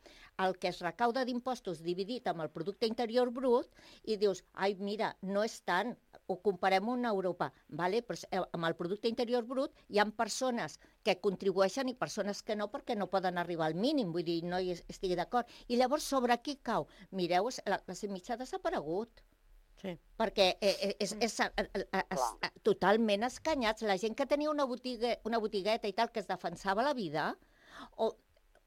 el que es recauda d'impostos dividit amb el producte interior brut i dius, ai, mira, no és tant, ho comparem amb Europa, vale? Però amb el producte interior brut hi ha persones que contribueixen i persones que no perquè no poden arribar al mínim, vull dir, no hi estigui d'acord. I llavors sobre qui cau? Mireu, la classe mitjana ha desaparegut. Sí. Perquè és totalment escanyats. La gent que tenia una botigueta i tal, que es defensava la vida,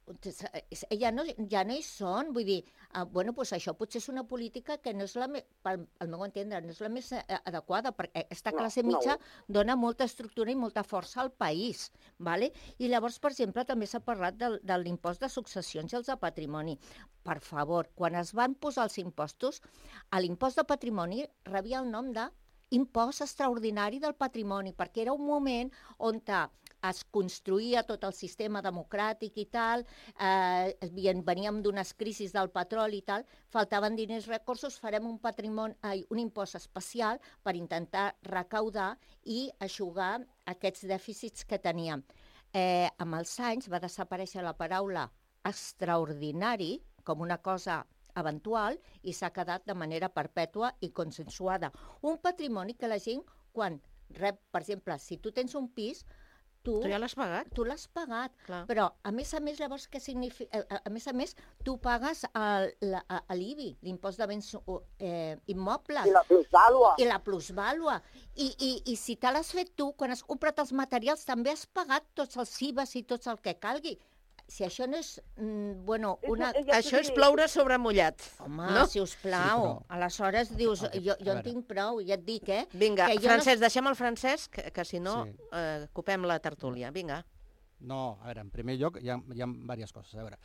ja no hi són, vull dir, això potser és una política que no és al meu entendre, no és la més adequada, perquè aquesta classe mitja dona molta estructura i molta força al país, ¿vale? I llavors, per exemple, també s'ha parlat de l'impost de successions i els de patrimoni. Per favor, quan es van posar els impostos, l'impost de patrimoni rebia el nom de impost extraordinari del patrimoni, perquè era un moment on es construïa tot el sistema democràtic i tal, veníem d'unes crisis del petroli i tal, faltaven diners, recursos, farem un impost especial per intentar recaudar i eixugar aquests dèficits que teníem. Amb els anys va desaparèixer la paraula extraordinari com una cosa eventual i s'ha quedat de manera perpètua i consensuada. Un patrimoni que la gent, quan rep, per exemple, si tu tens un pis, tu ja l'has pagat? Tu l'has pagat, però a més, llavors, què significa? A més, tu pagues l'IBI, l'impost de béns immobles. I la plusvàlua. I la plusvàlua. I si te l'has fet tu, quan has comprat els materials, també has pagat tots els IVAs i tots el que calgui. Si això no és... Això és ploure sobre mullat. Home, sisplau. Aleshores dius, jo en tinc prou, ja et dic, Vinga, Francesc, deixem el Francesc, que si no, copem la tertúlia. Vinga. No, a veure, en primer lloc hi ha diverses coses. A veure,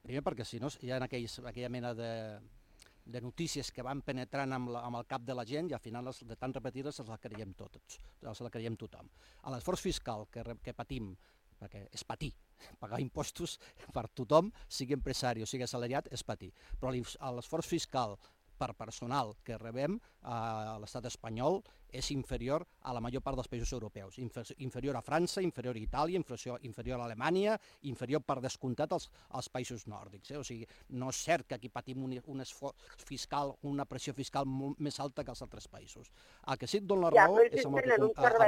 primer perquè si no hi ha aquella mena de notícies que van penetrant amb el cap de la gent i al final de tan repetides se la creiem tots, se la creiem tothom. L'esforç fiscal que patim, perquè és patir, pagar impostos per tothom, sigui empresari o sigui assalariat, és patir. Però l'esforç fiscal per personal que rebem a l'estat espanyol és inferior a la major part dels països europeus. Inferior a França, inferior a Itàlia, inferior a Alemanya, inferior per descomptat als països nòrdics. O sigui, no és cert que aquí patim un esforç fiscal, una pressió fiscal molt més alta que als altres països. El que sí et dono la raó és amb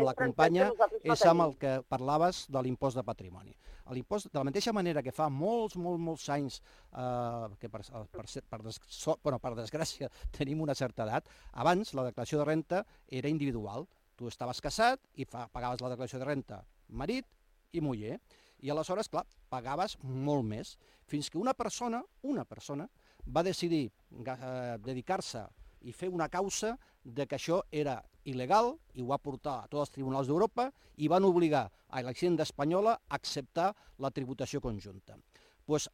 la companya, és amb el que parlaves de l'impost de patrimoni. L'impost, de la mateixa manera que fa molts anys, que per desgràcia tenim una certa edat, abans la declaració de renta era individual. Tu estaves casat i pagaves la declaració de renta marit i muller. I aleshores, clar, pagaves molt més. Fins que una persona va decidir dedicar-se i fer una causa de que això era il·legal i ho va portar a tots els tribunals d'Europa i van obligar a la Hisenda espanyola a acceptar la tributació conjunta. Doncs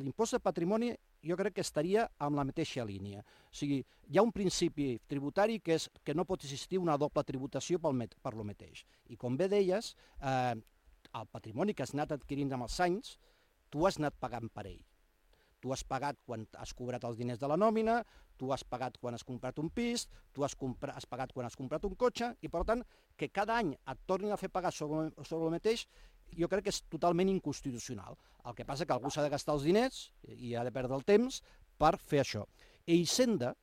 l'impost de patrimoni jo crec que estaria en la mateixa línia. O sigui, hi ha un principi tributari que és que no pot existir una doble tributació per lo mateix. I com bé deies, el patrimoni que has anat adquirint amb els anys, tu has anat pagant per ell. Tu has pagat quan has cobrat els diners de la nòmina, tu has pagat quan has comprat un pis, tu has pagat quan has comprat un cotxe, i per tant, que cada any et tornin a fer pagar sobre el mateix, jo crec que és totalment inconstitucional. El que passa que algú s'ha de gastar els diners i ha de perdre el temps per fer això. I Hisenda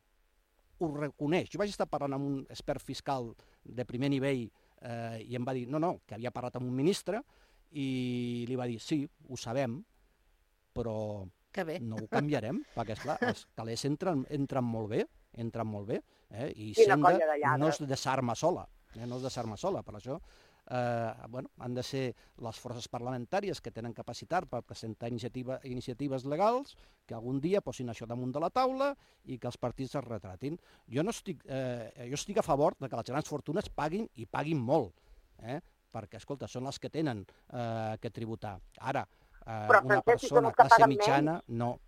ho reconeix. Jo vaig estar parlant amb un expert fiscal de primer nivell i em va dir, no, que havia parlat amb un ministre i li va dir, sí, ho sabem, però no ho canviarem, perquè, esclar, els calés entren molt bé, i Hisenda no es desarma sola, per això han de ser les forces parlamentàries que tenen capacitat per presentar iniciatives legals que algun dia posin això damunt de la taula i que els partits es retratin. Jo estic a favor de que les grans fortunes paguin i paguin molt, perquè, escolta, són les que tenen que tributar. Ara, una persona classe mitjana, no.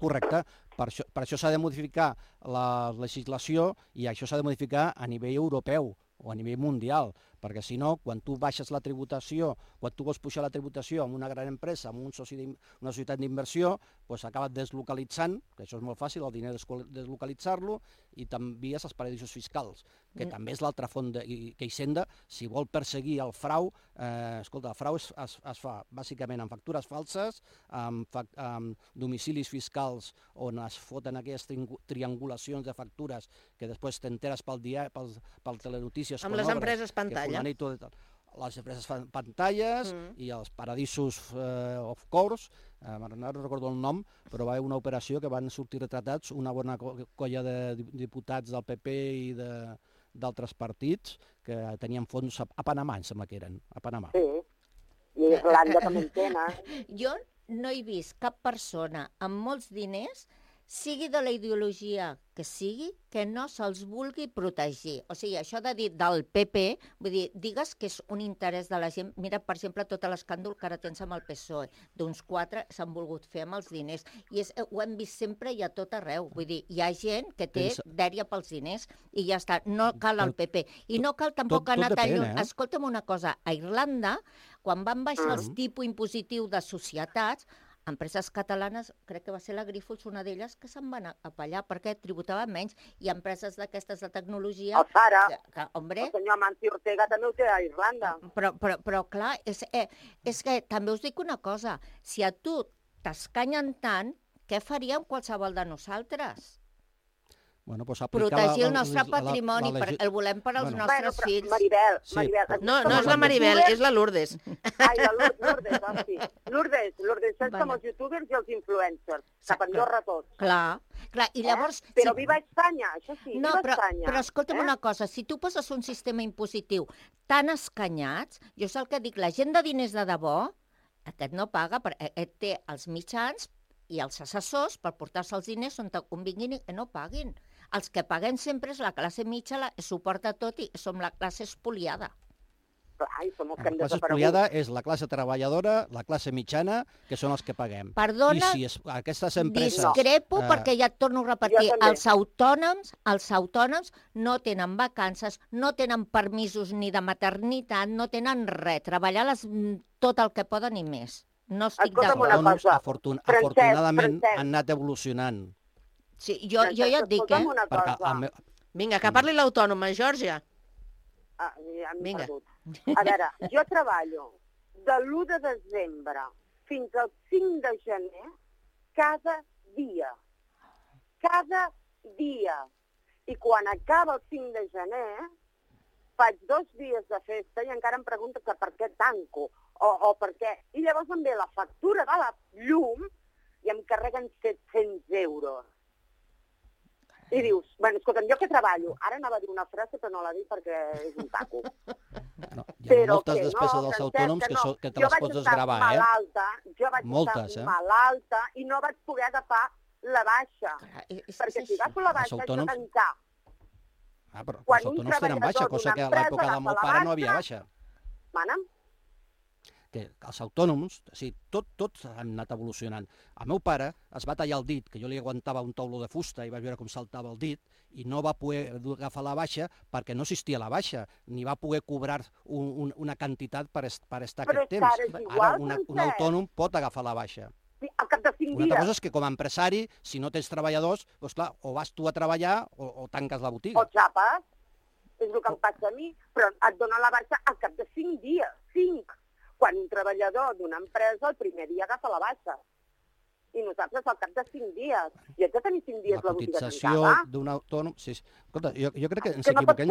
Correcte. Per això s'ha de modificar la legislació i això s'ha de modificar a nivell europeu o a nivell mundial, perquè si no, quan tu baixes la tributació, quan tu vols pujar la tributació amb una gran empresa, amb una societat d'inversió, doncs acabes deslocalitzant, que això és molt fàcil, el diner deslocalitzar-lo, i t'envies als paradisos fiscals, que també és l'altra font que Hisenda, si vol perseguir el frau, escolta, el frau es fa bàsicament amb factures falses, amb domicilis fiscals on es foten aquestes triangulacions de factures que després t'enteres pel telenotícies. Amb les empreses pantalla. Les empreses fan pantalles i els paradisos of course, no recordo el nom, però va haver una operació que van sortir retratats una bona colla de diputats del PP i d'altres partits que tenien fons a Panamà, em sembla que eren, a Panamà. Sí, i I Irlanda també en tenen. Jo no he vist cap persona amb molts diners, sigui de la ideologia que sigui, que no se'ls vulgui protegir. O sigui, això de dir del PP, vull dir, digues que és un interès de la gent. Mira, per exemple, tot l'escàndol que ara tens amb el PSOE. D'uns 4 s'han volgut fer amb els diners. I ho hem vist sempre i a tot arreu. Vull dir, hi ha gent que té dèria pels diners i ja està. No cal el PP. I no cal tampoc anar tan lluny. Escolta'm una cosa, a Irlanda, quan van baixar els tipus impositiu de societats, empreses catalanes, crec que va ser la Grifols, una d'elles, que se'n van apallar perquè tributaven menys, i empreses d'aquestes de tecnologia... El Zara, el senyor Amancio Ortega també ho té a Irlanda. Però clar, és que també us dic una cosa, si a tu t'escanyen tant, què faríem qualsevol de nosaltres? Bueno, pues protegir el nostre patrimoni, el volem per als nostres fills. Maribel, no és la Maribel, és la Lourdes. Ai, la Lourdes, sí. Lourdes, saps com els youtubers i els influencers, cap Andorra tots. Clar, i llavors... Però viva Espanya, això sí, viva Espanya. Però escolta'm una cosa, si tu poses un sistema impositiu tan escanyats, jo sé el que dic, la gent de diners de debò, aquest no paga, aquest té els mitjans i els assessors per portar-se els diners on te convinguin i no paguin. Els que paguem sempre és la classe mitja, suporta tot i som la classe espoliada. Clar, i som els que hem desaparegut. La classe espoliada és la classe treballadora, la classe mitjana, que són els que paguem. Perdona, I si aquestes empreses... discrepo perquè ja et torno a repetir, els autònoms no tenen vacances, no tenen permisos ni de maternitat, no tenen res, treballar tot el que poden i més. No estic d'acord. Afortunadament han anat evolucionant. Sí, jo ja et dic, Vinga, que parli l'autònoma, Geòrgia. Vinga. A veure, jo treballo de l'1 de desembre fins al 5 de gener cada dia. Cada dia. I quan acaba el 5 de gener, faig 2 dies de festa i encara em pregunto que per què tanco o per què. I llavors em ve la factura de la llum i em carreguen 700 euros. I dius, bueno, escolta'm, jo que treballo, ara anava a dir una frase però no la dic perquè és un taco. No, hi ha moltes despeses dels autònoms que te les pots desgravar, Jo vaig estar malalta i no vaig poder agafar la baixa. Perquè si agafo la baixa haig de tancar. Però els autònoms tenen baixa, cosa que a l'època del meu pare no havia baixa. Mana'm? Que els autònoms, tots han anat evolucionant. El meu pare es va tallar el dit, que jo li aguantava un taulo de fusta i vaig veure com saltava el dit, i no va poder agafar la baixa perquè no existia la baixa, ni va poder cobrar una quantitat per estar aquest temps. Ara un autònom pot agafar la baixa. Al cap de 5 dies. Una altra cosa és que com a empresari, si no tens treballadors, doncs clar, o vas tu a treballar o tanques la botiga. O xapes, és el que em passa a mi, però et dona la baixa al cap de 5 dies, 5. Quan un treballador d'una empresa el primer dia agafa la baixa. I nosaltres al cap de 5 dies. I haig de tenir 5 dies la botiga tancada. La cotització d'un autònom... Sí. Escolta, jo crec que ens equivoquem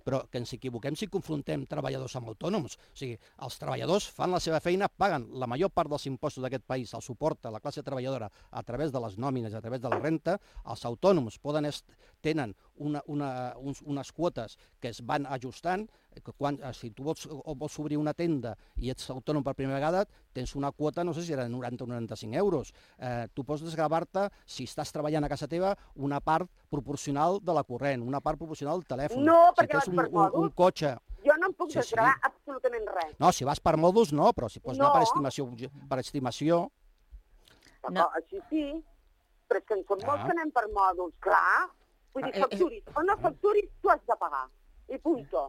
però que ens equivoquem si confrontem treballadors amb autònoms. O sigui, els treballadors fan la seva feina, paguen la major part dels impostos d'aquest país, el suporta la classe treballadora a través de les nòmines, a través de la renta. Els autònoms tenen unes quotes que es van ajustant. Si tu vols obrir una tenda i ets autònom per primera vegada, tens una quota, no sé si era 90 o 95 euros. Tu pots desgravar-te, si estàs treballant a casa teva, una part proporcional de la corrent, una part proporcional del telèfon. No, perquè vas per mòduls. Un cotxe... Jo no em puc desgravar absolutament res. No, si vas per mòduls no, però si pots anar per estimació... Així sí, però és que en som molts que anem per mòduls, clar. Vull dir, facturis o no facturis, tu has de pagar. I punto.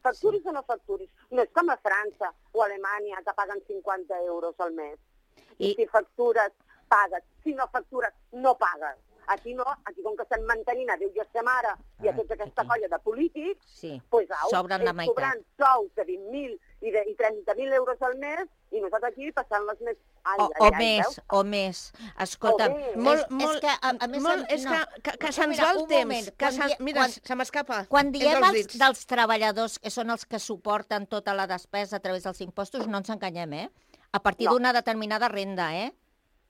Facturis o no facturis. No és com a França o a Alemanya que paguen 50 euros al mes. I si factures, pagues. Si no factures, no pagues. Aquí no, aquí com que estan mantenint a Déu i a sa mare i a tota aquesta colla de polítics, sobren la meitat. Cobrant sous de 20.000 i 30.000 euros al mes i nosaltres aquí passant les més... O més. Escolta, és que se'ns va el temps. Mira, se m'escapa. Quan diem dels treballadors, que són els que suporten tota la despesa a través dels impostos, no ens enganyem, a partir d'una determinada renda,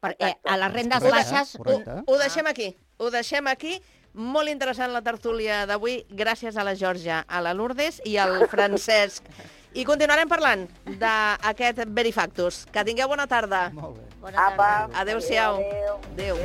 perquè a les rendes baixes... Ho deixem aquí. Molt interessant la tertúlia d'avui. Gràcies a la Geòrgia, a la Lourdes i al Francesc. I continuarem parlant d'aquest Verifactus. Que tingueu bona tarda. Molt bé. Bona tarda. Adéu-siau. Adéu.